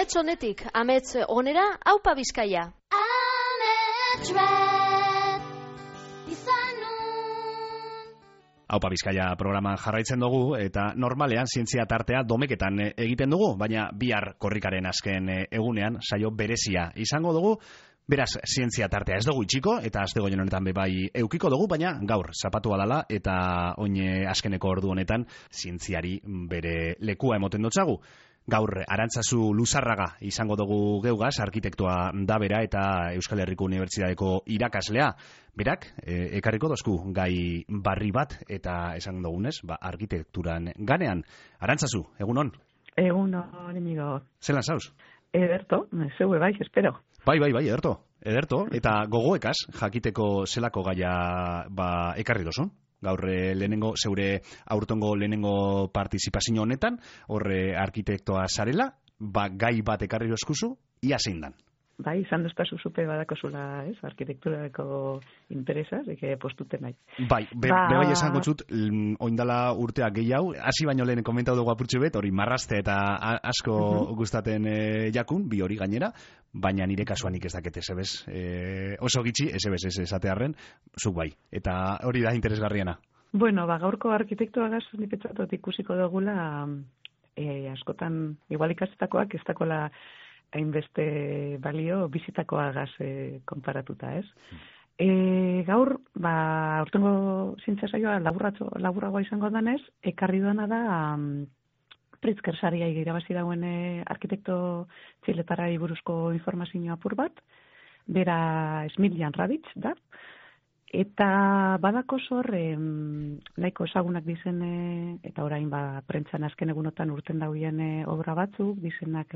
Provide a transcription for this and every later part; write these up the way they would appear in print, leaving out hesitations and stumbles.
Amets honetik, amets onera, aupa Bizkaia. Aupa Bizkaia programan jarraitzen dugu eta normalean zientzia tartea domeketan egiten dugu, baina bihar korrikaren azken egunean saio berezia izango dugu. Beraz, zientzia tartea ez dugu itxiko eta astegoien honetan bai eukiko dugu, baina gaur zapatua dala eta oin azkeneko ordu honetan zientziari bere lekua emoten dotzagu. Gaur Arantzazu Luzarraga izango dugu geugaz, arkitektoa da bera eta Euskal Herriko Unibertsitateko irakaslea. Berak, ekarriko dozku gai barri bat eta esan dugunez, arkitekturan ganean. Arantzazu, egunon? Egunon, amigo. Zelan zauz? Ederto, zeue bai, espero. Bai, ederto. Eta gogoekaz, jakiteko zelako gaia ekarri dozun? Gaur lehenengo, zeure aurtongo lehenengo partizipazio honetan, horre arkitektoa zarela, gai bat ekarri dozkuzu, ia zein dan? Bai, izan dozpazu zupe badakozula, arkitekturako interesa, postuten nahi. Bai, bai esango zut, oindala urtea gehiago, hasi baino lehen komentau dugu apurtxu bet, hori marraste eta asko gustaten jakun, bi hori gainera, baina nire kasuan ez dakete, zebez, oso gitxi, ez esatearren, zuk bai, eta hori da interesgarriena. Bueno, gaurko arkitektuagaz nipetzatot ikusiko dugula, askotan, igual ikastetakoak ez dakola hainbeste balio bizitakoagaz konparatuta, ez? Gaur, aurtengo zientzia saioa laburragoa izango danez, ekarri duena da Pritzker saria irabazi dauen arkitekto txiletarrari buruzko informazio apur bat, bera Smiljan Radic da, eta badako zor nahiko ezagunak dizen, eta orain prentzan azken egunotan urten dauen obra batzuk, dizenak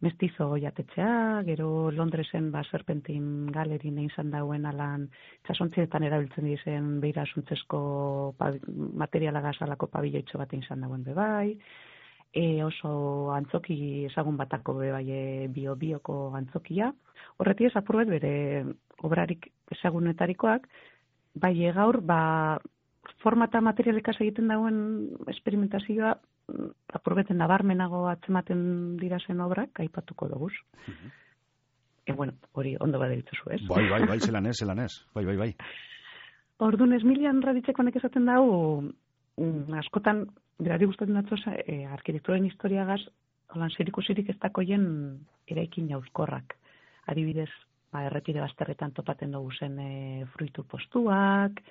Mestizo jatetxea, gero Londresen Serpentin galerin izan dauen alan txasontzietan erabiltzen dizen beira asuntzezko materialagaz alako pabilloitxo bat izan dauen bebai, oso antzoki ezagun batako bebai bioko antzokia. Horreti ez apurbet bere obrarik ezagunetarikoak, bai gaur formata materialikaz egiten dauen esperimentazioa apurbeten nabarmenago atzematen dirazen obrak aipatuko doguz. Bueno, hori ondo baderitzu ez? Bai, zelan ez. Bai. Orduan Smiljan Radicek esaten dago, askotan, berari gustatzen datzoz, arkitekturen historiagaz, holan zirikusirik ez dakoien eraikin jauzkorrak. Adibidez, errepide bazterretan topaten dugu zen fruitu postuak,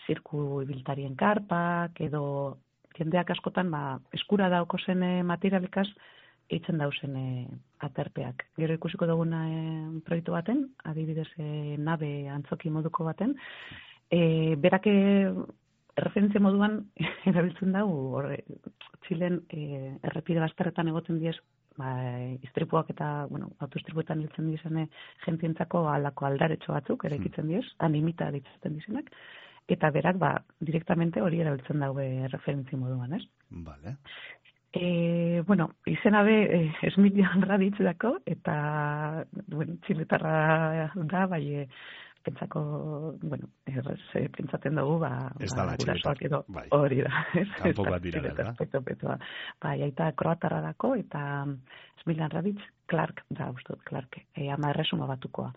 zirku ibiltarien karpak, edo jendeak askotan eskura dauko zen materialikaz eitzen dauzen aterpeak. Gero ikusiko duguna proiektu baten, adibidez nabe antzoki moduko baten, berak referentzia moduan erabiltzen dugu, Txilen errepide bazterretan egoten diez, istripuak eta, autoistripuetan hiltzen dizene jentientzako alako aldaretxo batzuk, eraikitzen diez, animita ditzen dizenak, eta berak, direktamente hori erabiltzen daue referentzi moduan, ez? Vale. Izena be Smiljan Radic dako, eta, txiletarra da, bai, pentsako, pentsaten dugu, ez da la txiletar, edo hori da. Kanpo bat dira, da? Bai, aita kroatarra dako, eta Smiljan Radic, Clark da, ustot, Clark, ama erresuma batukoa.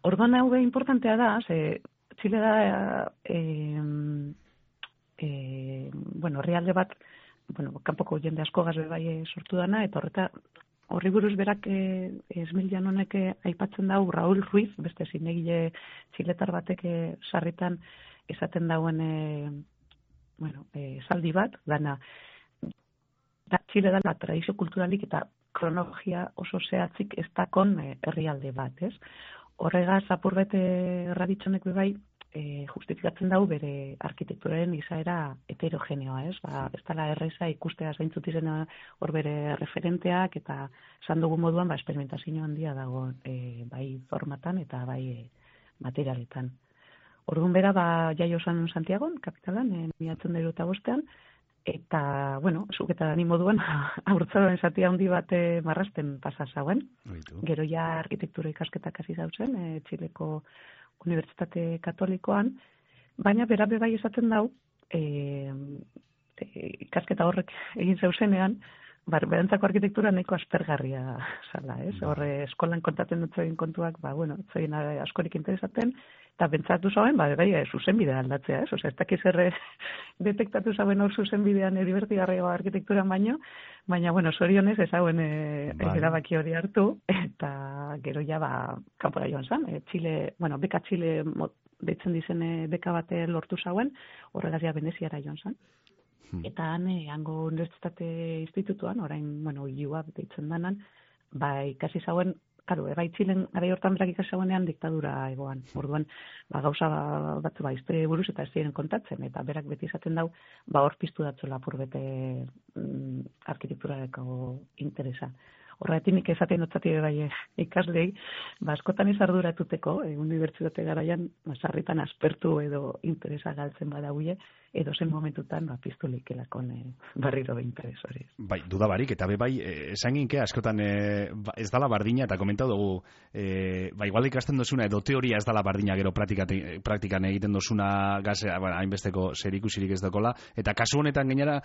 Orduan hau importantea da, Txile da, herrialde bat, kanpoko jende asko gazbe bai sortu dana, eta horri buruz berak Smiljan honek aipatzen dau Raúl Ruiz, beste zinegile txiletar batek sarritan esaten dauen esaldi bat, dana Txile da tradizio kulturalik eta kronologia oso zehatzik ez dakon herrialde bat, ez? Horregaz, apurbet Raditzonek bebai, justifikatzen dau bere arkitekturaren izaera heterogeneoa, ez? Ez dela erreza ikustea zeintzut izen hor bere referenteak, eta esan dugu moduan, esperimentazio handia dago bai formatan eta bai materialetan. Orduan bera, jaio zan Santiagon, kapitalan, 1985, eta, zuk eta ni moduan, aurtzaroan zatia handi bat marrasten pasa zauen. Gero ja arkitektura ikasketak hasi zauzen, Txileko Unibertsitate Katolikoan, baina bera bai esaten dau, ikasketa horrek egin zeuzenean, berantzako arkitektura nahiko aspergarria zala, ez? Horre eskolan kontatzen dut zein kontuak, zein askorik interesaten, eta bentsatu zauen, zuzenbidea aldatzea, ez? Osea, ez dakiz detektatu zauen hor zuzenbidean divertigarria arkitekturan baina, zorionez ez hauen erabaki hori hartu, eta gero ja, kanpora joan zan, beka Txile deitzen dizen beka bate lortu zauen, horregaz ja Veneziara joan zan. Eta hango Unibertsitate Institutuan, orain, IUA deitzen danan, ikasi zauen, bai Txilen gara hortan berak ikasi zauenean diktadura egoan. Orduan, gauza batzu historia buruz eta ez ziren kontatzen, eta berak beti izaten dau, hor piztu datzela purbete arkitekturareko interesa. Horregatik nik esaten dutzati bai ikaslei, askotan ez arduratuteko, unibertsitate garaian, sarritan aspertu edo interesa galtzen badauie, edo zen momentutan piztu leikelakon barriro interes hori. Bai, dudabarik, eta bai, esan ginke, askotan ez dala bardina, eta komentau dugu, igual ikasten dozuna, edo teoria ez dala bardina gero praktikan egiten dozuna gaze, hainbesteko zerikusirik ez dakola, eta kasu honetan gainera,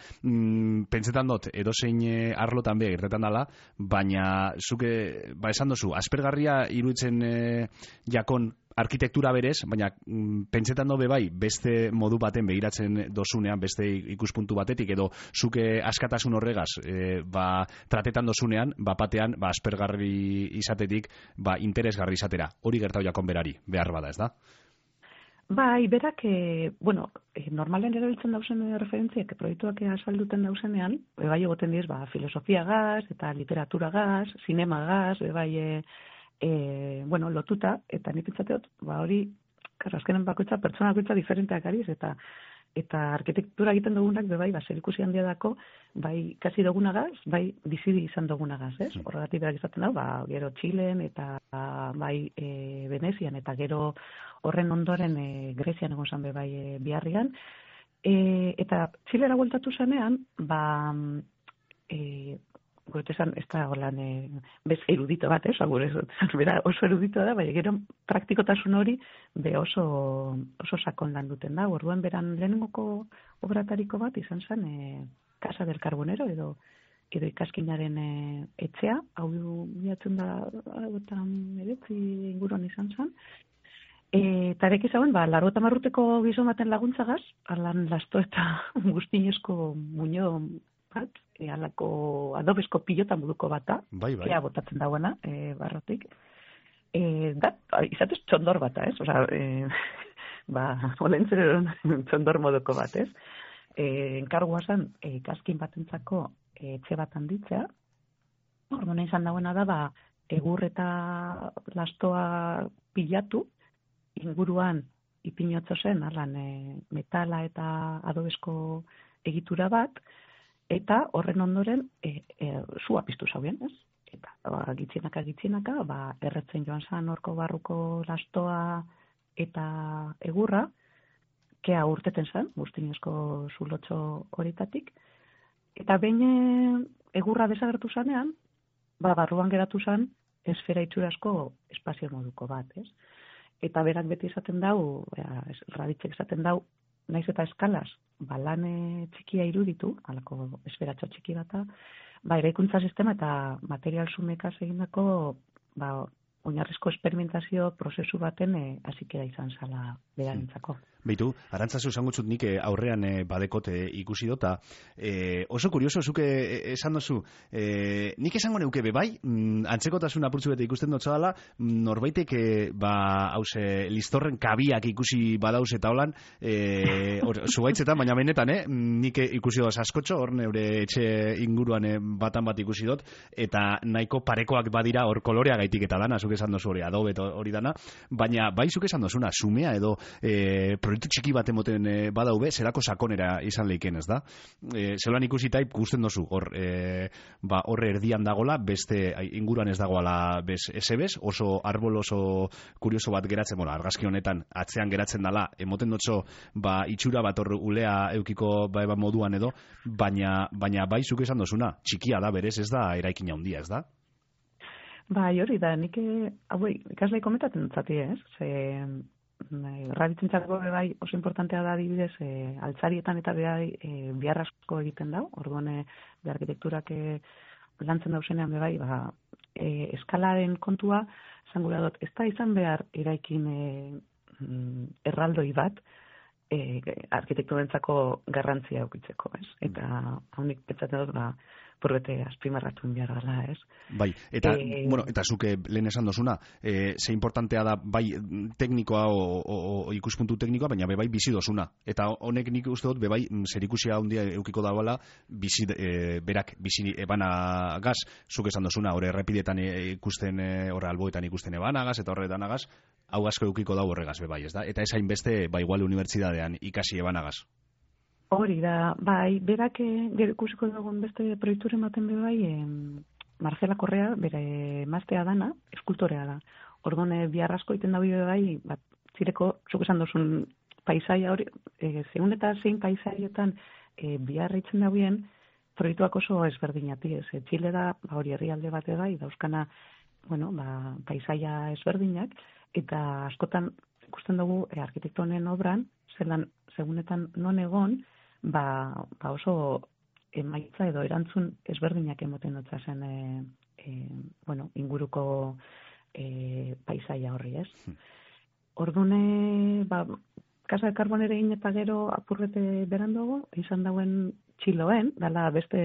pentsetan dut, edozein arlotan be, gertetan dala, baina zuke, esan dozu, aspergarria iruditzen jakon arkitektura berez, baina pentsetan dobe bai, beste modu baten begiratzen dozunean, beste ikuspuntu batetik, edo zuke askatasun horregaz, tratetan dozunean, batean, aspergarri izatetik, interesgarri izatera. Hori gertau jakon berari, behar bada, ez da? Bai, berak, normalen erabiltzen dauzen referentziak, proiektuak azalduten dauzenean, bai egoten diz, filosofiagaz, eta literaturagaz, zinemagaz, bai, lotuta, eta nik pentsateot, hori, azkenen bakoitza, pertsona bakoitza diferenteak ariz, eta arkitektura egiten dugunak, bai, zerikusi handia dako, bai, kasi dugunagaz, bai, bizidi izan dugunagaz, ez? Horregatik berak izaten dau, gero Txilen, eta bai, Venezian, eta gero horren ondoren Grezian egon zan bai Biarrian, eta Txilera bueltatu zanean, guretzan, ez da holan bez erudito bat, bera oso erudito da, baina gero praktikotasun hori oso sakon lan duten da. Orduan beran lehenengoko obratariko bat izan zen Casa del Carbonero edo ikaskinaren etxea, hau bilatzen da eretzi inguruan izan zen. Eta erek izauen, 80 urteko gizon baten laguntzagaz, alan lasto eta guztinesko muño bat, alako adobesko pilota moduko bata, ea botatzen dagoena, barrotik. Izatez txondor bata, ez? Osa, olentzeren txondor moduko bat, ez? Enkargua zen, ikaskin batentzako etxe bat handitzea. Orduan izan dagoena da, egur eta lastoa pilatu, inguruan ipinotzo zen, metala eta adobesko egitura bat, eta horren ondoren zua piztu zauen, ez? Eta gitzinaka, erretzen joan zan horko barruko lastoa eta egurra, kea urteten zen, guztinezko zulotxo horitatik, eta behin egurra desagertu zanean, barruan geratu zen esfera itxurazko espazio moduko bat, ez? Eta berak beti esaten dau, Raditzek esaten dau, naiz eta eskalaz, lan txikia iruditu, alako esferatxo txiki bata, eraikuntza sistema eta material sumekaz egindako oinarrizko esperimentazio prozesu baten hasikera izan zala berarentzako. Beitu, Arantzazu esangutzut nik aurrean badekote ikusi dota. Oso kurioso, zuke esan dozu, nik esango neuke bai, antzekotasun apurtzu bete ikusten dutza dela, norbaitek, hause, listorren kabiak ikusi badauz eta holan, zubaitzetan, baina benetan, nik ikusi dut askotxo, hor neure etxe inguruan batan bat ikusi dut, eta nahiko parekoak badira hor kolorea gaitik eta dana, zuke esan dozu hori, adobe hori dana, baina bai zuke esan dozuna, sumea edo proiektu txiki bat emoten badaube, zelako sakonera izan leiken, ez da? Zelan ikusi taip gusten dozu, horre erdian dagola, beste inguruan ez dagoala esebez, oso arbol oso kurioso bat geratzen, argazki honetan atzean geratzen dala, emoten dotzo, itxura bat hor ulea eukiko moduan edo, baina bai zuk esan dozuna, txikia da berez, ez da eraikina handia, ez da? Bai, hori da, nik ikaslei komentatzen dutzati, ez? erraditzentzako bai oso importantea da adibidez, altzarietan eta behar asko egiten dau, orduan de arkitekturak lantzen dauzenean bai, eskalaren kontua, zangura dut, ez da izan behar eraikin erraldoi bat, arkitekturentzako garrantzia eukitzeko, ez? Eta honik pentsatzen dut, purbete azpimarratuen behar gala, ez? Bai, eta, eta zuke lehen esan dozuna, ze importantea da bai teknikoa o ikuspuntu teknikoa, baina bai bizi dozuna. Eta honek nik uste dut, bai zerikusia handia eukiko dagoela, berak bizi ebanagaz, zuk esan dozuna, hor errepidetan ikusten, hor alboetan ikusten ebanagaz, eta horretan agaz, hau asko eukiko dago horregaz, bai, ez da? Eta ez hainbeste, igual unibertsitatean ikasi ebanagaz. Hori da, bai, berak ikusiko dugun beste proiekturen baten bai, Marcela Correa, bere maztea dana, eskultorea da. Orduan, bihar asko iten da bai, zireko, zuk esan duzun paisaia hori, zeun eta zein paisaietan bihar itzen da bien, proiektuak oso ezberdinati, ez. Txile da, hori herrialde bate bai, dauzkana, paisaia ezberdinak, eta askotan ikusten dugu arkitektonen obran, zelan, segunetan non egon, oso emaitza edo erantzun ezberdinak emoten dutza zen inguruko paisaia horri, ez? Ordune, Casa de Carbonere egin eta gero apurrete beranduago, izan dauen Txiloen, dala beste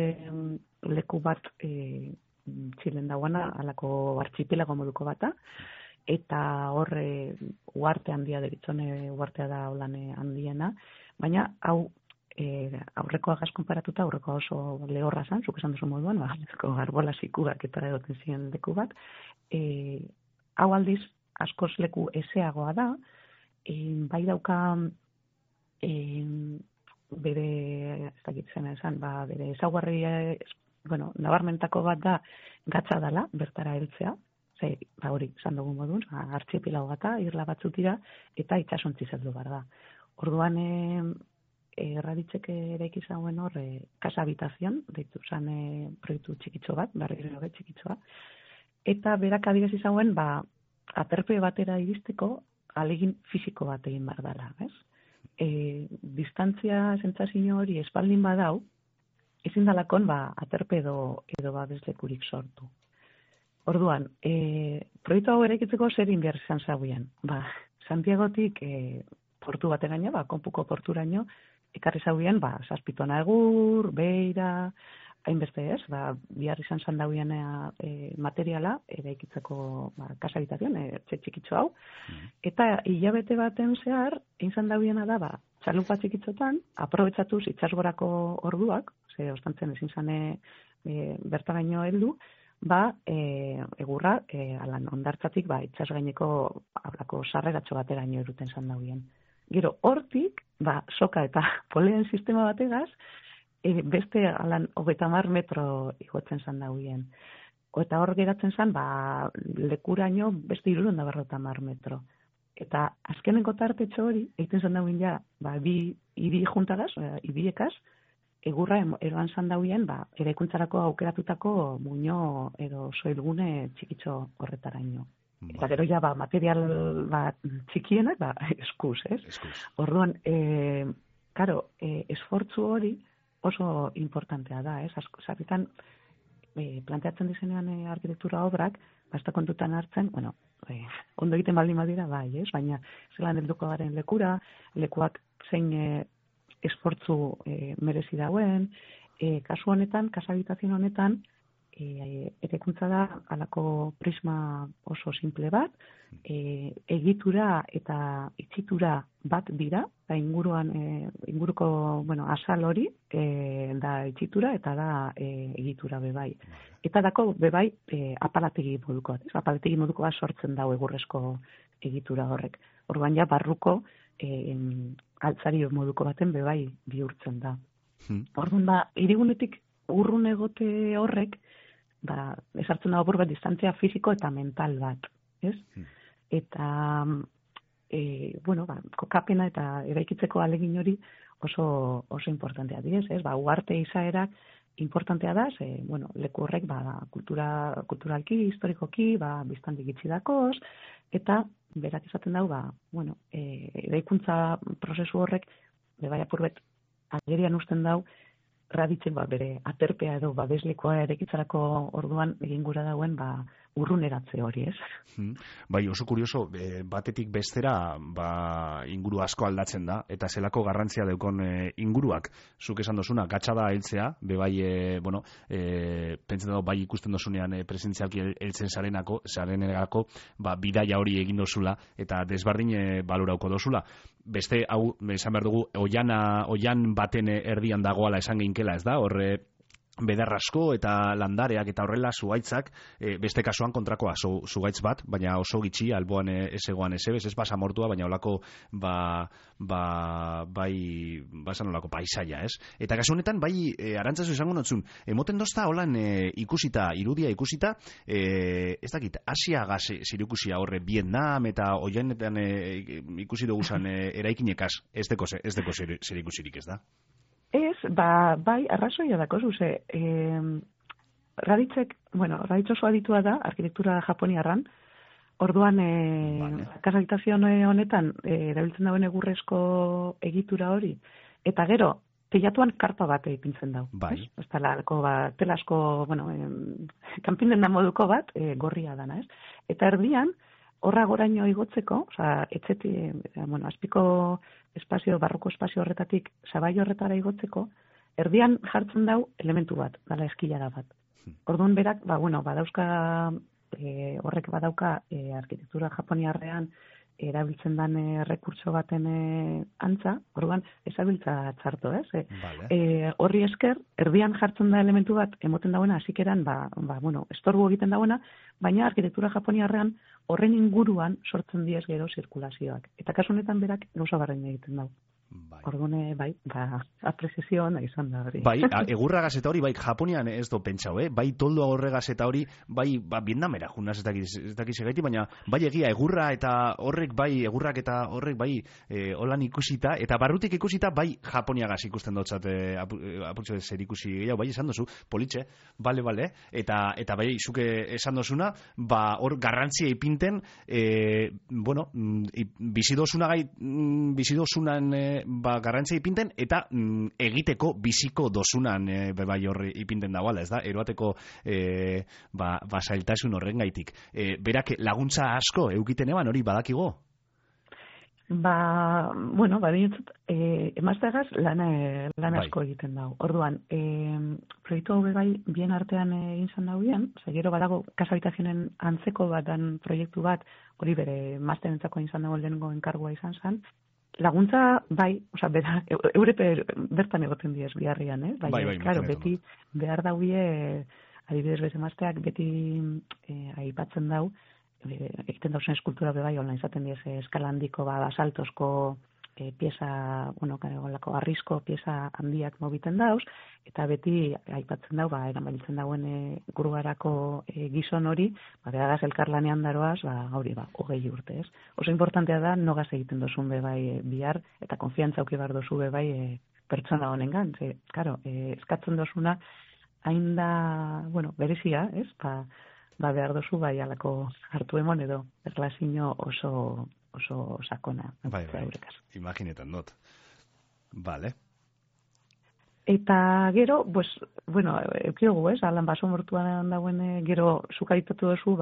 leku bat Txilen dagoena, alako artxipelago moduko bata, eta horre uarte handia deritzone, uartea da holane handiena, baina hau aurrekoa gaz konparatuta, aurrekoa oso lehorra zan, zuk esan duzu moduan, garbola zikugak eta egoten ziren leku bat. Hau aldiz, askoz leku ezeagoa da, bai dauka bere, ez dakitzen esan, bere ezaugarri, nabarmentako bat da, gatza dela, bertara heltzea, hori, esan dugun modun, artxipilago gata, irla batzuk dira, eta itxasontzi zeldu behar da. Orduan, erraditzeke ere ikizauen hor, casa habitazion, deitu zan proiektu txikitxo bat, barriro txikitxoa, eta berak adibes izauen, aterpe batera iristeko, alegin fisiko bat egin behar dela, ez? Distantzia zentzazio hori espaldin badau, ezin dalakon, aterpe edo babeslekurik sortu. Orduan, proiektu hau eraikitzeko zer behar izan zauen. Santiagotik portu bateraino, konpuko porturaino, ekarri zauen, zazpitona egur, beira, hainbeste ez, bihar izan zandauen materiala, eraikitzeko casa habitazion, txikitxo hau, eta hilabete baten zehar, egin zandauen da, txalupa txikitzotan, aprobetsatuz itxasgorako orduak, ze ostantzen ezin zane bertaraino heldu, egurra, alan ondartzatik, itxas gaineko ablako sarreratxo bateraino eruten zandauen. Gero, hortik, soka eta poleen sistema bategaz, beste alan 30 metro igotzen zandauen. Eta hor geratzen zan, lekuraino beste 350 metro. Eta azkenengo tartetxo hori, egiten zandauen bi hiri juntagaz, hiriekaz, egurra eroan zandauen, eraikuntzarako aukeratutako muño edo soilgune txikitxo horretaraino. Eta gero material txikienak, eskuz, ez? Orduan, esfortzu hori oso importantea da, ez? Sarritan, planteatzen dizenean arkitektura obrak, basta kontutan hartzen, ondo egiten baldin badira, ez? Baina, zelan helduko garen lekura, lekuak zein esfortzu merezi dauen, kasu honetan, casa habitazion honetan, erekuntza da alako prisma oso simple bat, egitura eta itxitura bat dira, da inguruko, asal hori, da itxitura eta da egitura bebai. Eta dako bebai apalategi moduko bat, apalategi moduko bat sortzen dau egurrezko egitura horrek. Orduan barruko altzari moduko baten bebai bihurtzen da. Orduan hirigunetik urrun egote horrek, esartzen da apur bat distantzia fisiko eta mental bat, ez? Eta, kokapena eta eraikitzeko alegin hori oso importantea direz, ez? Uarte izaerak importantea da, leku horrek kulturalki, historikoki, biztandik itxidakoz, eta berak esaten dau, eraikuntza prozesu horrek, bai apurbet, agerian usten dau, Raditzek bere aterpea edo babeslikoa erekitzarako orduan egin gura dauen urruneratze hori, ez? Bai, oso kurioso, batetik bestera inguru asko aldatzen da, eta zelako garrantzia daukon inguruak. Zuk esan dozuna, gatxada heltzea, pentsen dago, bai ikusten dozunean presentzialki heltzen zarenegako, bidaia hori egin dozula, eta desbardin balorauko dozula. Beste, hau, esan behar dugu, oian baten erdian dagoala esan geinkela, ez da? Horre, bedarrasko eta landareak eta horrela zuhaitzak, beste kasuan kontrakoa, zuhaitz bat, baina oso gitxi, alboan ez egoan ez basamortua, baina olako esan olako paisaia, ez? Eta kasu honetan, bai, arantzazu izango notzun, emoten dozta holan irudia ikusita, ez dakit, Asiagaz zirikusia horre Vietnam eta oianetan ikusi duguzan eraikinekaz, ez deko zirikusirik, ez da? Ez, bai, arrazoia dako, zuze, Raditz oso aditua da, arkitektura japoniarran, orduan, kasalitazio honetan, erabiltzen dauen egurrezko egitura hori, eta gero, teilatuan karpa bat ipintzen dau. Bai. Ez talako, telasko, kanpinen da moduko bat, gorria dana, ez? Eta erdian, horra goraino igotzeko, azpiko espazio, barroko espazio horretatik, sabai horretara igotzeko, erdian jartzen dau elementu bat, dala eskilara bat. Orduan berak, horrek badauka arkitektura japoniarrean erabiltzen dan rekurtso baten antza, orduan ezabiltza txarto, ez? Horri esker, erdian jartzen da elementu bat, emoten dauena, hasikeran, estorbu egiten dauena, baina arkitektura japoniarrean horren inguruan sortzen diez gero zirkulazioak. Eta kasu honetan berak gauza barrein egiten dau. Orduan, aprezizio hona izan da hori. Bai, egurra gazeta hori, bai, Japonian ez do pentsau, bai, toldo agorre gazeta hori, bai, Vietnamera, junaz ez dakiz egaiti, baina, bai, egia, egurrak eta horrek, bai, holan ikusita, eta barrutik ikusita, bai, Japoniagaz ikusten dotzat, apurtxo zer ikusi gehiago, bai, esan dozu, politxe, bale, eta bai, zuke esan dozuna, hor garrantzia ipinten, bizidozunan garrantzia ipinten, eta egiteko biziko dozunan bai horri ipinten dagoela, ez da? Eroateko zailtasun horren gaitik. Berak laguntza asko eukiten eban hori badakigo? Emazteagaz lan asko egiten dago. Orduan, proiektu hau bai bien artean egin zan dagoen, gero badago kasabitazionen antzeko batan proiektu bat, hori bere mazterentzako egin zan dago lehenengo enkargua izan zan, laguntza, eure bertan egoten diez biharrian, beti behar dauie, adibidez bete mazteak, beti aipatzen dau, egiten dauzen eskultura bebai, online izaten diez eskala handiko, basaltosko pieza, arrizko pieza handiak mobiten dauz, eta beti aipatzen dau, eramanbiltzen dauen gurugarako gizon hori, behagaz elkarlanean daroaz, hori, 20 urte, ez? Oso importantea da, nogaz egiten dozun bebai bihar, eta konfiantza auki bar dozu bebai pertsona honengan, eskatzen dozuna, hain da, berezia, ez? Behar dozu bai alako hartu emon edo, erlazio oso sakona. Bai, imaginetan dut. Vale. Eta gero, eukiogu, alan baso mortuan dauen gero zukaritatu duzu,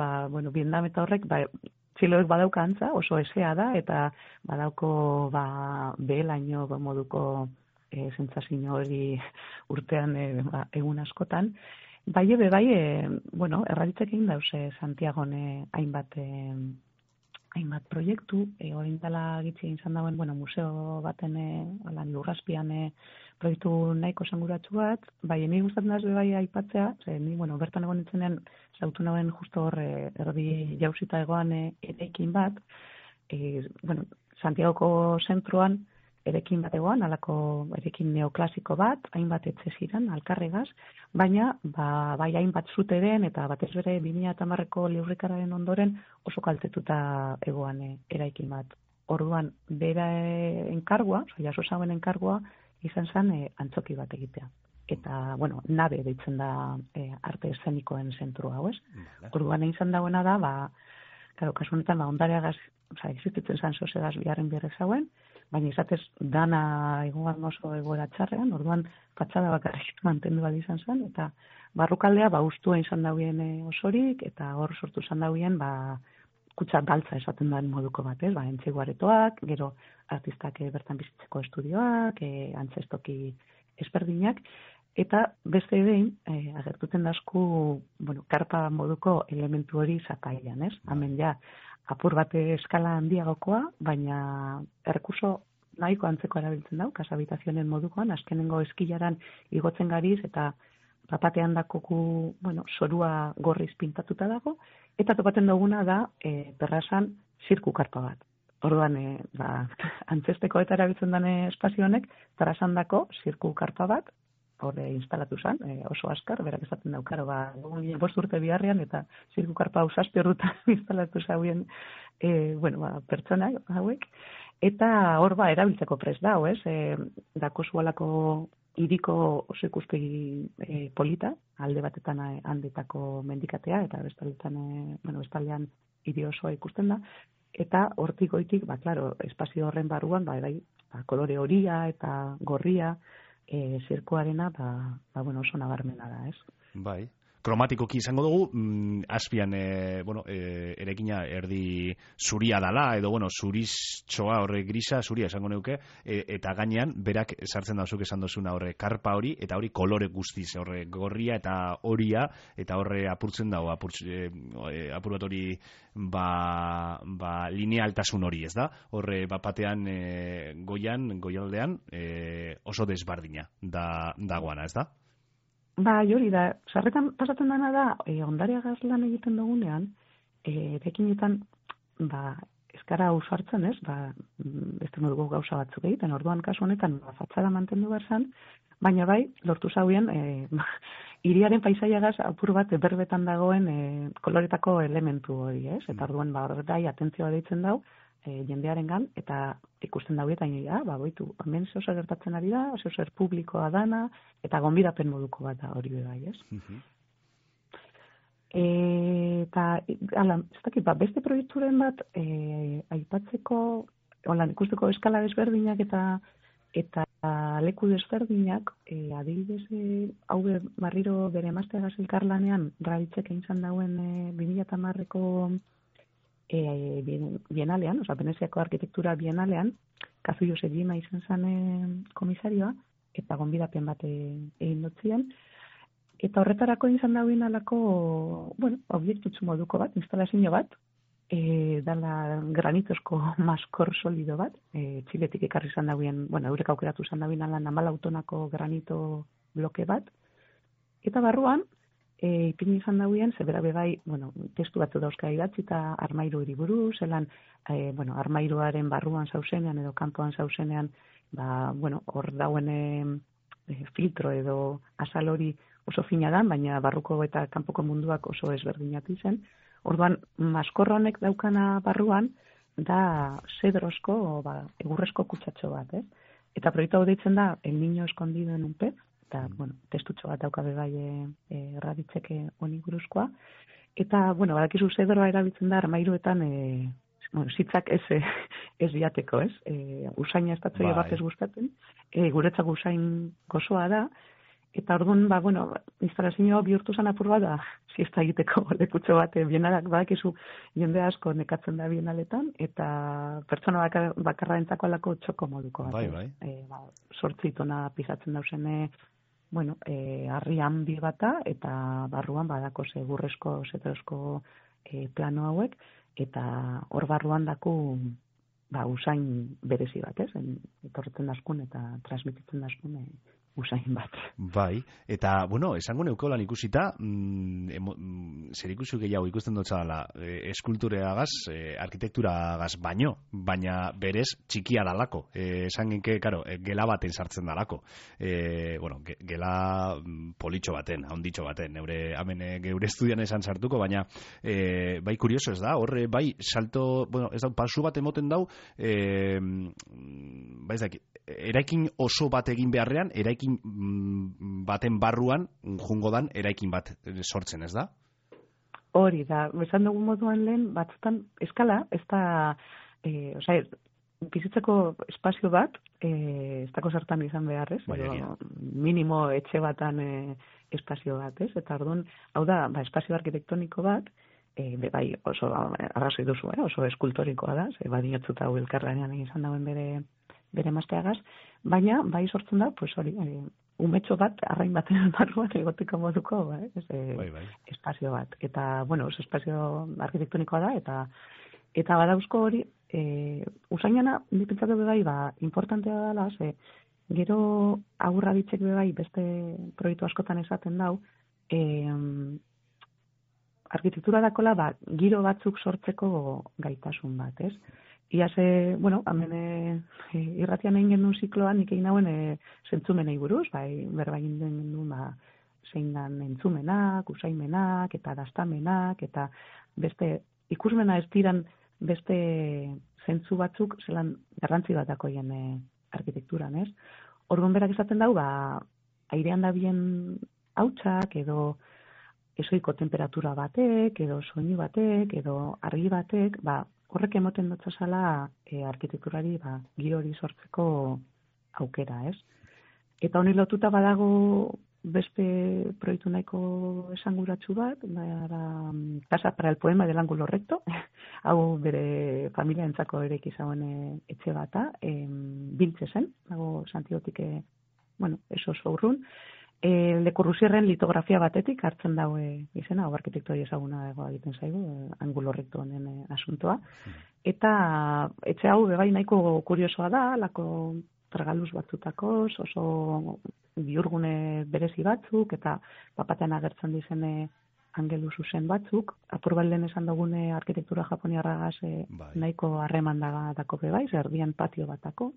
Vietnam eta horrek, txiloek badauka antza, oso esea da, eta badauko behelaino moduko sentsazio hori urtean egun askotan. Erraditzek egin dause Santiagon hainbat proiektu, orain dela gitzi izan dauen, museo baten lurrazpian proiektu nahiko esanguratsu bat, ni gustatzen daz aipatzea, ni bertan egon nintzenean zautu nauen justo hor erdi jauzita egoan eraikin bat, Santiagoko zentroan erekin bat egoan, alako erekin neoklasiko bat, hainbat etxe ziren, alkarregaz, baina bai hainbat zuteren eta batez bere 2010ko liurrikararen ondoren oso kaltetuta egoan eraikin bat. Orduan, bera enkargua, jaso zauen enkargua, izan zen antzoki bat egitea. Eta, nabe deitzen da arte eszenikoen zentru hau, ez? Orduan izan dagoena da, Claro, kasu honetan, ondareagaz, existitzen zen sosegaz biharren berrez hauen, baina izatez dana egoan oso egoera txarrean, orduan fatxada bakarrik mantendu bali izan zen, eta barrukaldea ustua izan dauen osorik, eta hor sortu izan dauen kutsa baltza esaten den moduko bat, entzegu aretoak, gero artistak bertan bizitzeko estudioak, antzestoki ezberdinak, eta beste behin, agertuten dasku, karpa moduko elementu hori zatailan, Hemen ja, apur bate eskala handiagokoa, baina errekurso nahiko antzeko erabiltzen dau, kasabitazionen modukoan, azkenengo eskilaran igotzen gariz, eta papatean dakoku, sorua gorriz pintatuta dago, eta topaten duguna da, perrasan zirku karpa bat. Orduan, antzesteko eta erabiltzen den espazio honek, perrasan dako zirku karpa bat, horre instalatu zen, oso askar, berak esaten daukaro, 5 urte biharrean, eta zirku karpa usazpi horretan instalatu zauen, pertsona hauek, eta hor erabiltzeko prest dau, dako zualako iriko oso ikuspegi polita, alde batetan handetako mendikatea, eta bestaldean hiri osoa ikusten da, eta hortik goitik, espazio horren barruan, kolore horia eta gorria, zirkuarena, oso nabarmena da, Bai. Kromatikoki izango dugu, azpian, erekina erdi zuria dala, edo, zuriztxoa horre grisa, zuria esango neuke, eta gainean, berak sartzen dauzuk esan dozuna horre karpa hori, eta hori kolore guztiz, horre gorria eta horia, eta horre apurtzen dago, apur bat hori, linealtasun hori, ez da? Horre, batean, goialdean, oso desbardina dagoana, ez da? Hori da, sarretan pasatzen dena da, ondareagaz lan egiten dugunean, erekinetan, eskara usartzen, beste moduko gauza batzuk egiten, orduan kasu honetan, fatxada mantendu behar, baina lortu zauen, hiriaren paisaiagaz apur bat berbetan dagoen koloretako elementu hori, eta orduan, horretai, atentzioa deitzen dau, jendearen gan, eta ikusten daue eta boitu, hemen oso gertatzen ari da, oso publikoa dana, eta gonbidapen moduko bat da hori bai, Eta, ez dakit, beste proiekturen bat, aipatzeko, ikusteko eskala desberdinak eta leku desberdinak, adibidez, hau barriro bere emazteagaz elkarlanean, Raditzek egin zan dauen 2010ko bienalean, Veneziako arkitektura bienalean, Kazu Josejima izan zen komisarioa, eta gonbidapen bat egin dutzien, eta horretarako izan dauen alako, objektutzu moduko bat, instalazio bat, dala granitozko maskor solido bat, Txiletik ekarri izan dauen, eurek aukeratu izan dauen alan 14 tonako granito bloke bat, eta barruan, ipini izan dauen, zebera bebai, testu batzu dauzka idatzi eta armairu hiriburu, zelan, armairuaren barruan zauzenean edo kanpoan zauzenean, hor dauen filtro edo azal hori oso fina da, baina barruko eta kanpoko munduak oso ezberdinatu zen. Orduan, maskorra honek daukana barruan, da zedrozko, egurrezko kutsatxo bat, Eta proiektu hau deitzen da, El Niño Escondido en un Pez, eta, testutxo bat daukabe Raditzeke honi buruzkoa. Eta, badakizu zedroa erabiltzen da armairuetan, zitzak ez diateko, usaina ez batzoia bat ez gustatzen, guretzak usain gozoa da, eta orduan, instalazioa bihurtu zan apur bat da, siesta egiteko lekutxo bat, bienalak badakizu jende asko nekatzen da bienaletan, eta pertsona bakarra entzako alako txoko moduko bat. 8 tona pisatzen dauzen, harri handi bata, eta barruan badako segurrezko, zetrozko plano hauek, eta hor barruan daku usain berezi bat, etorretzen daskun eta transmititzen daskun usain bat. Bai, eta, esango neukolan ikusita, zer ikusi gehiago ikusten dutza dela, eskultureagaz, arkitekturagaz baino, baina berez txikia dalako. Esan genke, gela baten sartzen dalako. Gela politxo baten, haunditxo baten, geure estudian esan sartuko, baina bai kurioso ez da, horre bai salto, ez da, pasu bat emoten dau, bai ez dakit, eraikin oso bat egin beharrean, eraikin baten barruan jungo dan eraikin bat sortzen, ez da? Hori da, esan dugun moduan lehen, batzutan eskala, ez da, bizitzeko espazio bat, ez dako zertan izan behar, ez? Minimo etxe batan espazio bat, ez? Eta orduan, hau da, espazio arkitektoniko bat, bai oso arrazoi duzu, oso eskultorikoa da, badinotzuta hau elkarlanean izan dauen bere mazteagaz, baina bai sortzen da, pues hori, umetxo bat, arrain baten barruan egoteko moduko, espazio bat. Eta, bueno, oso espazio arkitektonikoa da, eta badauzko hori, usainana, nipentzatu bai, importantea dela, gero aurra ditzek bai, beste proiektu askotan esaten dau, arkitektura dakola, giro batzuk sortzeko gaitasun bat, ez? Iaz, hemen irratian egin genuen zikloan, nik egin nauen zentzumenei buruz, berba egin genuen, zein dan entzumenak, usaimenak, eta dastamenak, eta beste ikusmena ez diran beste zentzu batzuk zelan garrantzi bat dakoien arkitekturan, ez? Orduan berak esaten dau, airean da bien hautsak, edo esoiko temperatura batek, edo soinu batek, edo argi batek, horrek emoten dotzazala arkitekturari giro hori sortzeko aukera, ez? Eta honi lotuta badago beste proiektu nahiko esanguratsu bat, Casa para el Poema del Ángulo Recto, hau bere familiarentzako ere izagoen etxe bata, Biltze zen, dago Santiagotik, eso oso urrun, Le Corbusierren litografia batetik hartzen daue izena, hau arkitektori ezaguna egiten zaigu, Ángulo Recto honen asuntoa, eta etxe hau bebai nahiko kuriosoa da, lako tragaluz batzutakoz, oso biurgune berezi batzuk, eta bapatean agertzen dizene angelu zuzen batzuk, apur balden esan dugune arkitektura japoniarragaz nahiko harreman dako bebai, erdian patio batako.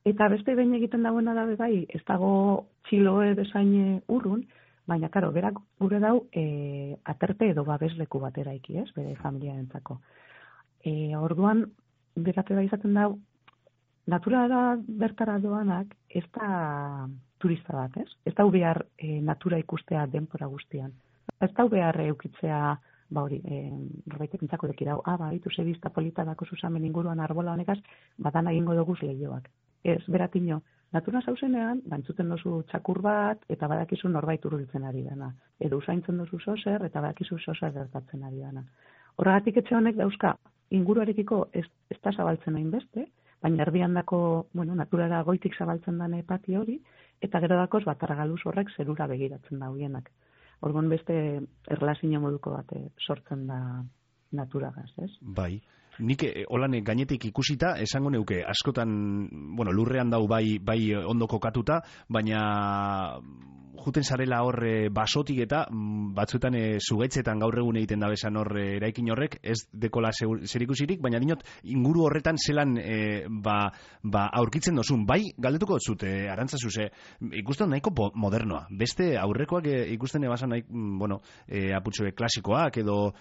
Eta beste behin egiten dagoena da bebai, ez dago txiloe bezain urrun, baina, karo, berak gure dau aterte edo babesleku batera iki, ez, bere familiarentzako. Orduan, berate bai izaten dau, naturara bertara doanak ez da turista bat, ez? Ez da behar natura ikustea denpora guztian. Ez da behar eukitzea, norbaitek entzako deki dau, baitu zebizta polita dako zuzamen inguruan arbola honekaz, badan egingo doguz lehioak. Ez, beratino, natura zauzenean, entzuten dozu txakur bat, eta badakizu norbait urbiltzen ari dana. Edo usaintzen dozu zozer, eta badakizu zozer gertatzen ari dana. Horregatik etxe honek dauzka, inguruarekiko ez da zabaltzen hain beste, baina erdian dako, naturara goitik zabaltzen dane pati hori, eta gero dakoz argaluz horrek zerura begiratzen da hoienak. Orduan beste erlazio moduko bat sortzen da naturagaz, ez? Bai. Nik holan gainetik ikusita, esango neuke, askotan, lurrean dau bai ondo kokatuta, baina juten zarela hor basotik eta batzuetan zugaitzetan gaur egun egiten da bezan hor eraikin horrek, ez dekola zerikusirik, baina dinot inguru horretan zelan aurkitzen dozun. Bai, galdetuko zut, Arantzazu, ikusten nahiko modernoa. Beste aurrekoak ikusten ebasan nahi, aputxoe klasikoak edo,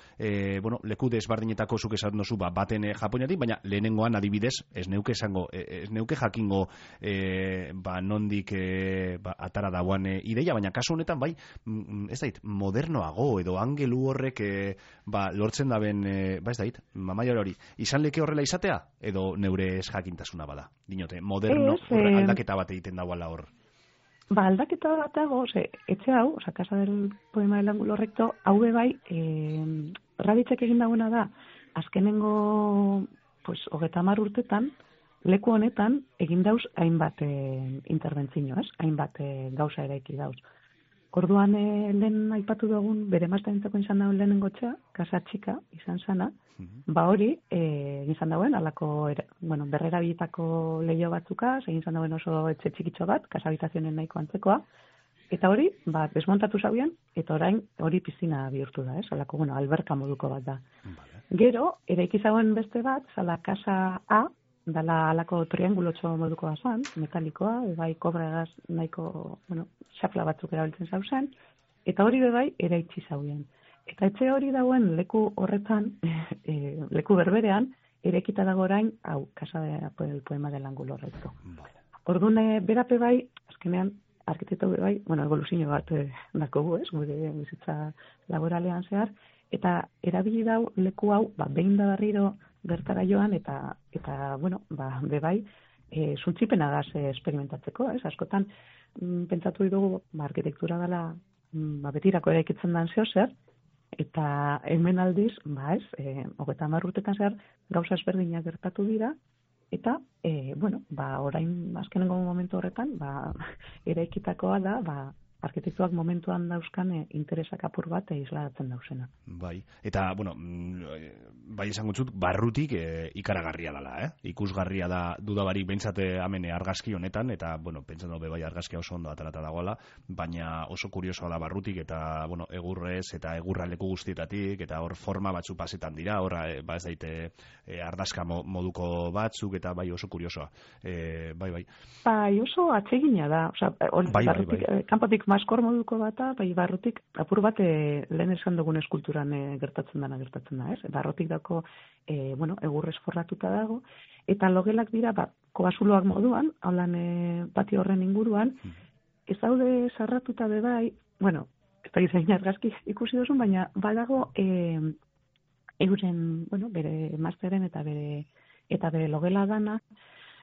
leku desbardinetako zuk esan dozu baten japoniatik, baina lehenengoan adibidez, ez neuke jakingo nondik atara dauan ideia, baina kasu honetan bai, ez dait, modernoago edo angelu horrek lortzen daben, ez dait, mamaior hori, izan leke horrela izatea, edo neure ez jakintasuna bada, dinote, moderno, aldaketa bat egiten dauala hor. Aldaketa bat dago, etxe hau, Casa del Poema del Ángulo Recto, hau bai, raditzek egin dagoena da, azkenengo 30 urtetan, leku honetan egin dauz hainbat interbentzio, ez? Hainbat gauza eraiki dauz. Orduan lehen aipatu dugun, bere maztaintzako izan dauen lehenengo txea, Casa Txika izan zana, hori izan dauen, alako, berrerabilitako lehio batzuka, egin izan dauen oso etxe txikitxo bat, Casa Habitazionen nahiko antzekoa, eta hori, desmontatu zabian, eta orain hori pizina bihurtu da, ez? Alako, alberka moduko bat da. Gero, eraiki zauen beste bat, zala Casa A, dala alako triangulotxo moduko bazan, metalikoa, bai kobregaz nahiko, xafla batzuk erabiltzen zauzen, eta hori bai eraitsi zauen. Eta etxe hori dauen leku horretan, leku berberean, eraikita dago orain, hau, Casa del Poema del Ángulo Recto. Orduan, berape bai, azkenean, arkitekto bai, evoluzio bat dakogu, ez, gure bizitza laboralean zehar, eta erabili dau leku hau, behin da berriro bertara joan, eta bueno, bebai, suntzipenagaz experimentatzeko, ez? Askotan, pentsatu dugu, arkitektura dela, betirako eraikitzen den zer, eta hemen aldiz, ez, 30 urtetan zehar, gauza ezberdinak gertatu dira, eta, bueno, orain azkenengo momentu horretan, eraikitakoa da, arkitektuak momentuan dauzkan interesak apur bat islatzen dauzena. Bai, eta, bueno, bai esango zut, barrutik ikaragarria dela, ikusgarria da dudabarik behintzate amene argazki honetan, eta, bueno, pentsan daube bai argazkia oso ondo atarata dagoela, baina oso kuriosoa da barrutik, eta, bueno, egurrez, eta egurraleku guztietatik, eta hor forma batzu pasetan dira, hor, ez daite ardazka moduko batzuk, eta bai oso kuriosoa. Bai. Bai, oso atsegina da, oza, barrutik, kanpotik maskor moduko bata, barrutik apur bat lehen esan dugun eskulturan gertatzen da, ez? Barrutik dako, bueno, egurrez forratuta dago, eta logelak dira, kobazuloak moduan, haulan patio horren inguruan, ez daude sarratuta bebai, bueno, ez da gizain argazki ikusi duzun, baina badago euren, bueno, bere emazteren eta bere logela dana.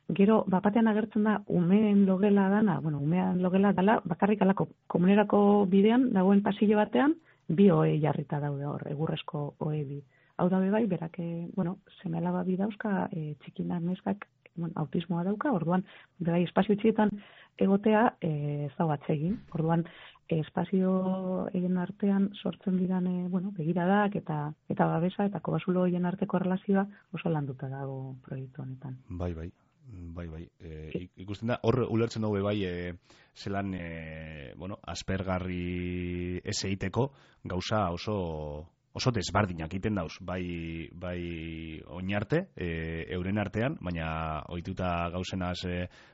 Gero, batean agertzen da, umeen logela dana, bueno, umean logela dala, bakarrik alako komunerako bidean, dagoen pasillo batean, 2 ohe jarrita daude hor, egurrezko ohe bi. Hau dabe bai, berak, bueno, seme-alaba bi dauzka, txikinak neskak, bueno, autismoa dauka, orduan, bai, espazio txietan egotea, ez da batzegin, orduan, espazio egin artean sortzen diran, bueno, begiradak eta babesa, eta kobazulo egin arteko relazioa oso landuta dago proiektu honetan. Bai. Ikusten da, hor ulertzen dugu bai, zelan, bueno, aspergarri ez egiteko gauza oso desbardinak egiten dauz, bai oinarte, euren artean, baina ohituta gauzenaz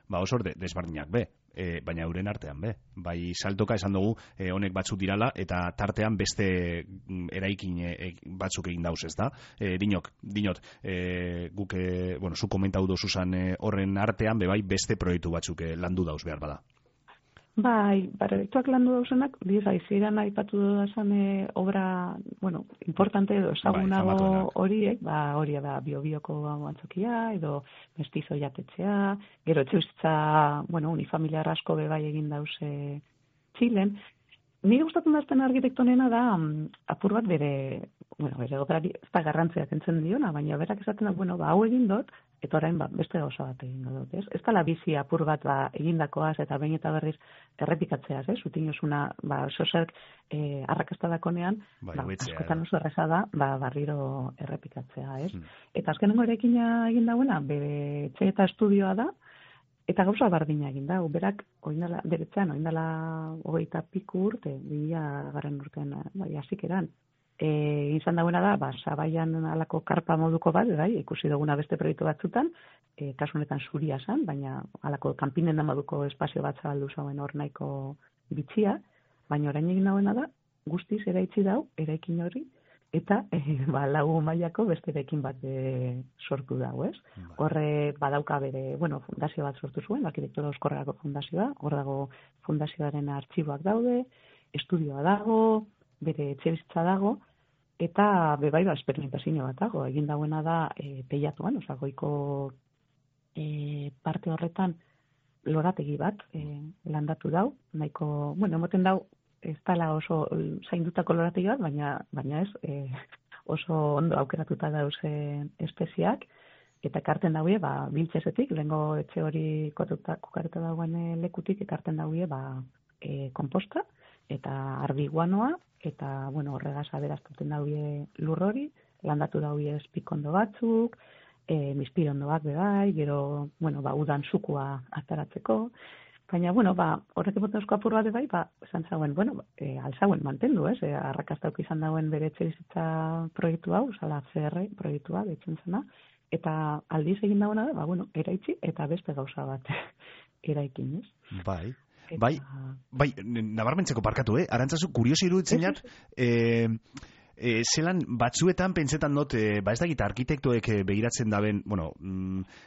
oso desbardinak be. Baina euren artean be. Bai saltoka esan dugu honek batzuk dirala eta tartean beste eraikin batzuk egin dauz, ez da? Dinot, guk, bueno, zu komentau dozuzan horren artean, bai beste proiektu batzuk landu dauz behar bada. Bai, proiektuak landu dauzenak, ziren aipatu dudazan obra, bueno, importante edo ezagunago horiek, hori da Biobioko antzokia, edo mestizo jatetzea, gero etxeuzitza, bueno, unifamiliar asko bebai egin dauze Txilen. Nire gustatzen dazten arkitektonena da, apur bat bere operari ez da garrantzea kentzen diona, baina berak esaten da, bueno, hau egin dut, eta orain beste gauza bat egin dut, ez? Ez da bizi apur bat egindakoaz eta behin eta berriz errepikatzeaz, ez? Utinozuna, sozerk arrakastadakonean, askotan oso erreza da, barriro errepikatzea, ez? Eta azkenengo erekina egin dauena, bere etxe eta estudioa da, eta gauza bardina egin da, berak beretzean, oindala 20 piku urte, 2000 urtean, hasikeran. Izan dagoena da, sabaian alako karpa moduko bat, ikusi duguna beste proiektu batzutan, kasu honetan zuria zen, baina alako kanpinen da moduko espazio bat zabaldu zauen hor nahiko bitxia, baina orain egin dagoena da, guztiz eraitzi dau, eraikin hori, eta lagu mailako beste eraikin bat sortu dago, ez? Horre badauka bere, bueno, fundazio bat sortu zuen, arkitektura euskorrerako fundazioa, hor dago fundazioaren artxiboak daude, estudioa dago, bere etxebizitza dago, eta bebai esperimentazio bat dago. Egin dagoena da teilatuan, goiko parte horretan lorategi bat landatu dau, nahiko, bueno, emoten dau, ez dala oso zaindutako lorategi bat, baina ez oso ondo aukeratuta dauzen espeziak, eta ekarten daue, biltzesetik, lehengo etxe hori kokaruta dagoen lekutik, ekarten daue, komposta, eta ardi guanoa, eta, bueno, horregaz aberaztuten daue lur hori, landatu daue espikondo batzuk, mispirondoak bebai, gero, bueno, udan sukua ataratzeko, baina, bueno, horrek emoten osko apur bat bai, esan zauen, bueno, alzauen mantendu, ez? Arrakastauk izan dauen bere etxebizitza proiektu hau, zala CR proiektua, deitzen zena, eta aldiz egin dagoena da, bueno, eraitzi, eta beste gauza bat eraikin, ez? Bai, nabarmentzeko parkatu, Arantzazu, kuriosi iruditzen jat, zelan batzuetan pentsetan dut, ba ez dakit arkitektoek begiratzen daben, bueno,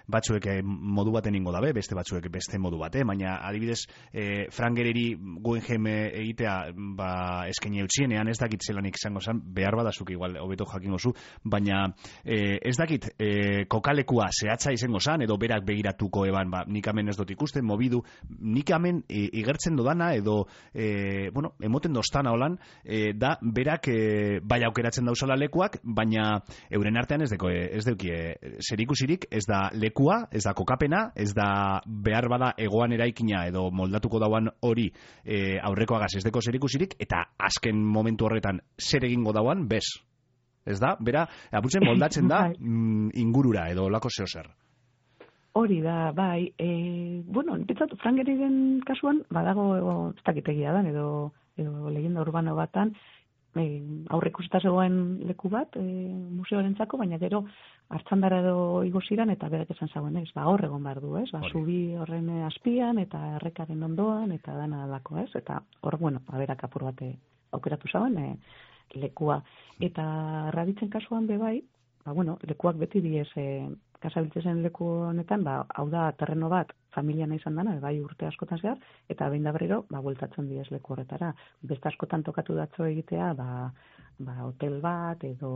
batzuek modu baten ingo dabe, beste batzuek beste modu bate, baina adibidez Frank Gehryri Guggenheim egitea ba eskaini eutxienean, ez dakit zelanik izango zen, behar badazuk igual hobeto jakingo zu, baina ez dakit kokalekua zehatza izango zen, edo berak begiratuko eban, ba, nik hemen ez dut ikusten, mobidu, nik hemen igertzen dodana, edo bueno, emoten doztana holan, da berak bai aukeratzen dauzala lekuak, baina euren artean ez deuki zerikusirik, ez da lekua, ez da kokapena, ez da behar bada egoan eraikina edo moldatuko dauan hori aurrekoagaz ez deko zerikusirik, eta azken momentu horretan zer egingo dauan, bez. Ez da? Bera, aputzen moldatzen da ingurura edo lako zeo zer. Hori da, bai. Bueno, pentsatu, Frank Gehryren kasuan, badago ez dakitegia dan, edo legenda urbano batan, aurreikusita zegoen leku bat museoarentzako, baina gero hartzandara edo igo ziran eta berak esan zagoen, ez, ba hor egon behar du, ez, ba zubi horren azpian eta errekaren ondoan eta dana alako, ez, eta hor, bueno, berak apur bate aukeratu zagoen lekua. Eta Raditzen kasuan bebai, ba bueno, lekuak beti diez kasabiltzen leku honetan, ba hau da terreno bat familiana izan dana, bai urte askotan zehar, eta behin da berriro, ba bueltatzen diez leku horretara. Beste askotan tokatu datzo egitea, ba hotel bat edo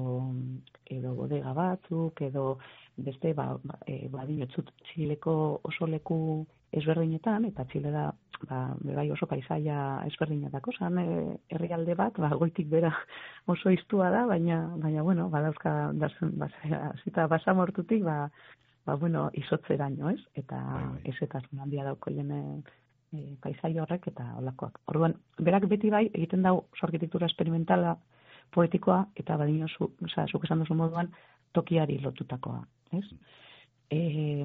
bodega batzuk edo beste badinotzut Txileko oso leku ezberdinetan, eta Txile da bai oso paisaia ezberdinetako, zan herrialde bat, goitik bera oso iztua da, baina bueno, badauzka zita basamortutik, bueno, izotzeraino, ez? Eta ezetasun handia dauko jene paisaia horrek eta olakoak. Orduan, berak beti bai egiten dau arkitektura experimentala, poetikoa, eta badino zuk esan duzu moduan tokiari lotutakoa, ez?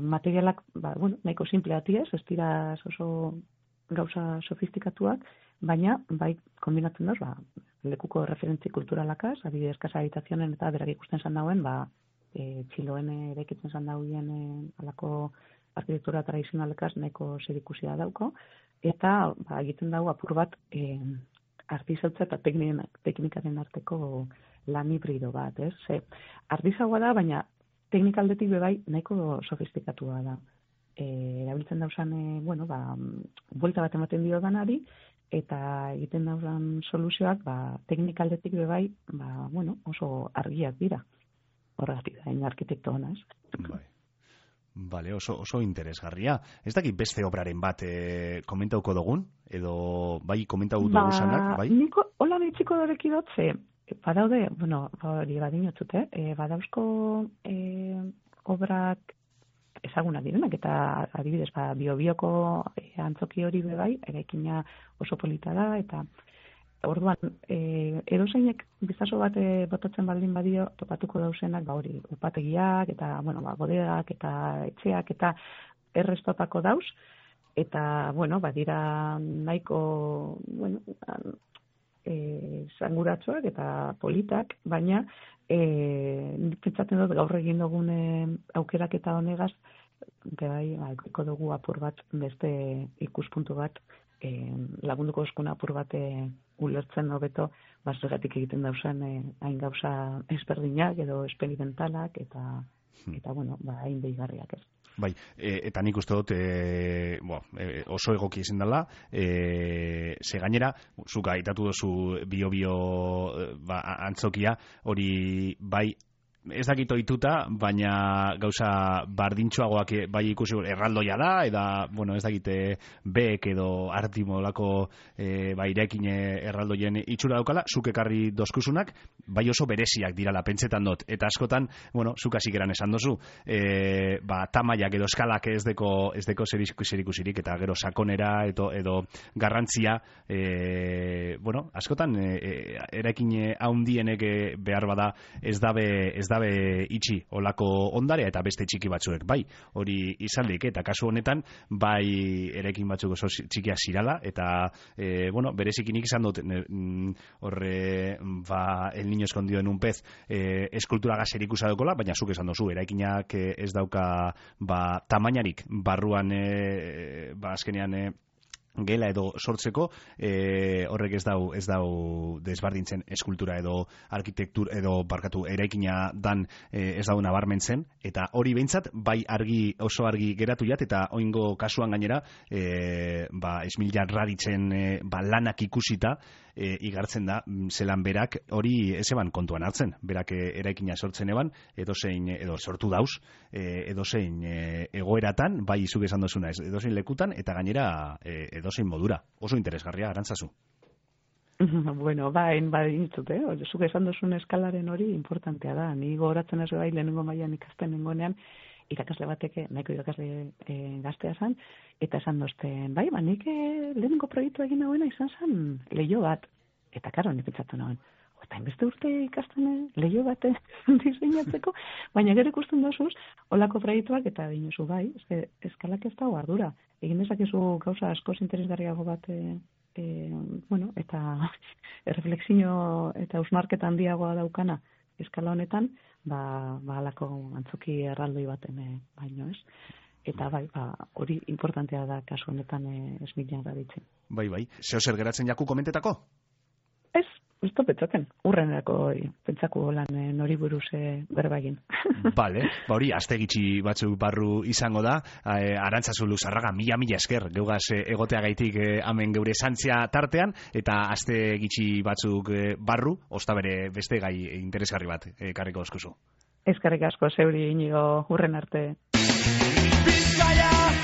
Materialak, bueno, nahiko simpleati ez dira oso gauza sofistikatuak, baina bai kombinatzen doz, lekuko referentzi kulturalakaz, adibidez Casa Habitazionen eta berak ikusten zan dauen, Txiloen eraikitzen zan dauen alako arkitektura tradizionalekaz nahiko zerikusia dauko, eta egiten dago apur bat artizautza eta teknikaren arteko lan hibrido bat, ez? Artizagoa da, baina teknikaldetik bebai nahiko sofistikatua da. Erabiltzen dauzan, bueno, buelta bat ematen dio danari, eta egiten dauzan soluzioak, teknikaldetik bebai, bueno, oso argiak dira. Horregatik da, arkitekto hona, ez? Bai. Vale, oso interesgarria. Ez dakit beste obraren bat komentauko dugun, edo bai komentau dugu zanak, bai? Niko, hola bitxiko doreki dotze, badaude, bueno, hori badinotzut, badauzko obrak ezagunak direnak, eta adibidez, Bio-Bioko antzoki hori bebai, eraikina oso polita da, eta orduan, edozeinek bizazo bat botatzen baldin badio, topatuko dauzenak, hori, upategiak, eta, bueno, bodeak, eta etxeak, eta errestopako dauz, eta, bueno, badira nahiko, bueno, zanguratsuak eta politak, baina pentsatzen dut gaur egin dugun aukerak eta honegaz, bai, eko dugu apur bat, beste ikuspuntu bat, lagunduko eskuna apur bat ulertzen hobeto, zergatik egiten dauzen hain gauza ezberdinak edo esperimentalak eta bueno, hain behigarriak ez. Bai, eta nik uste dut oso egoki izan dela, ze gainera, zuk aitatu duzu Bio-Bio antzokia, hori bai, ez dakit ohituta, baina gauza bardintxoagoak bai ikusi erraldoia da, eta, bueno, ez dakit beek edo artimolako irekin erraldoien itxura daukala, zuk ekarri dozkusunak, bai oso bereziak dirala, pentsetan dut, eta askotan, bueno, zuk hasikeran esan dozu, tamaiak edo eskalak ez deko zerikusirik, eta gero sakonera edo garrantzia, bueno, askotan eraikin haundienek behar bada ez dabe itxi olako ondarea eta beste txiki batzuek, bai, hori izaldik, eta kasu honetan, bai eraikin batzuk oso txikiak zirala, eta, bueno, berezikinik izan dut, horre, el niño escondido en un pez, eskultura gazerik usadokola, baina zuk esan dozu, eraikinak ez dauka, tamainarik, barruan, azkenean, gela edo sortzeko, horrek ez dau desbardintzen eskultura edo arkitektur edo eraikina dan ez dau nabarmentzen, eta hori behintzat bai oso argi geratu jat, eta oingo kasuan gainera Esmilla Raditzen lanak ikusita igartzen da zelan berak hori ez eban kontuan hartzen, berak eraikina sortzen eban, edo sortu dauz, edozein egoeratan, bai zuk esan dozuna, edozein lekutan, eta gainera edozein modura. Oso interesgarria, Arantzazu. Bueno, badintzut, zuk esan dozun eskalaren hori importantea da. Ni gogoratzen ez bai lehenengo mailan ikasten nengoenean, irakasle bateke, nahiko irakasle gaztea zan, eta esan dozten, nik lehenengo proiektu egin nagoena izan zen leiho bat. Eta karo, nik pentsatu nagoen, eta inbeste urte ikasten leiho bat diseinatzeko, baina gero ikusten dozuz, olako proiektuak eta dinosu bai, eskalak ez dago ardura. Egin dezakezu gauza askoz interesgarriago bat, eta reflexio eta ausnarketa handiagoa daukana eskala honetan, alako antzoki erraldoi baten baino ez. Eta hori importantea da kasu honetan Esmilla Raditzen. Bai. Zeo zer geratzen jaku komentetako? Ez pentsatzen, urrenerako pentsako lan nori buruz berba egin. Bale, hori, aste gitxi batzuk barru izango da, Arantzazu Luzarraga, mila esker, geugaz egoteagaitik hemen geure zantzia tartean, eta aste gitxi batzuk barru, osta bere beste gai interesgarri bat, karriko oskuzu. Eskerrik asko zeuri, Inigo, urren arte. Bizkaia!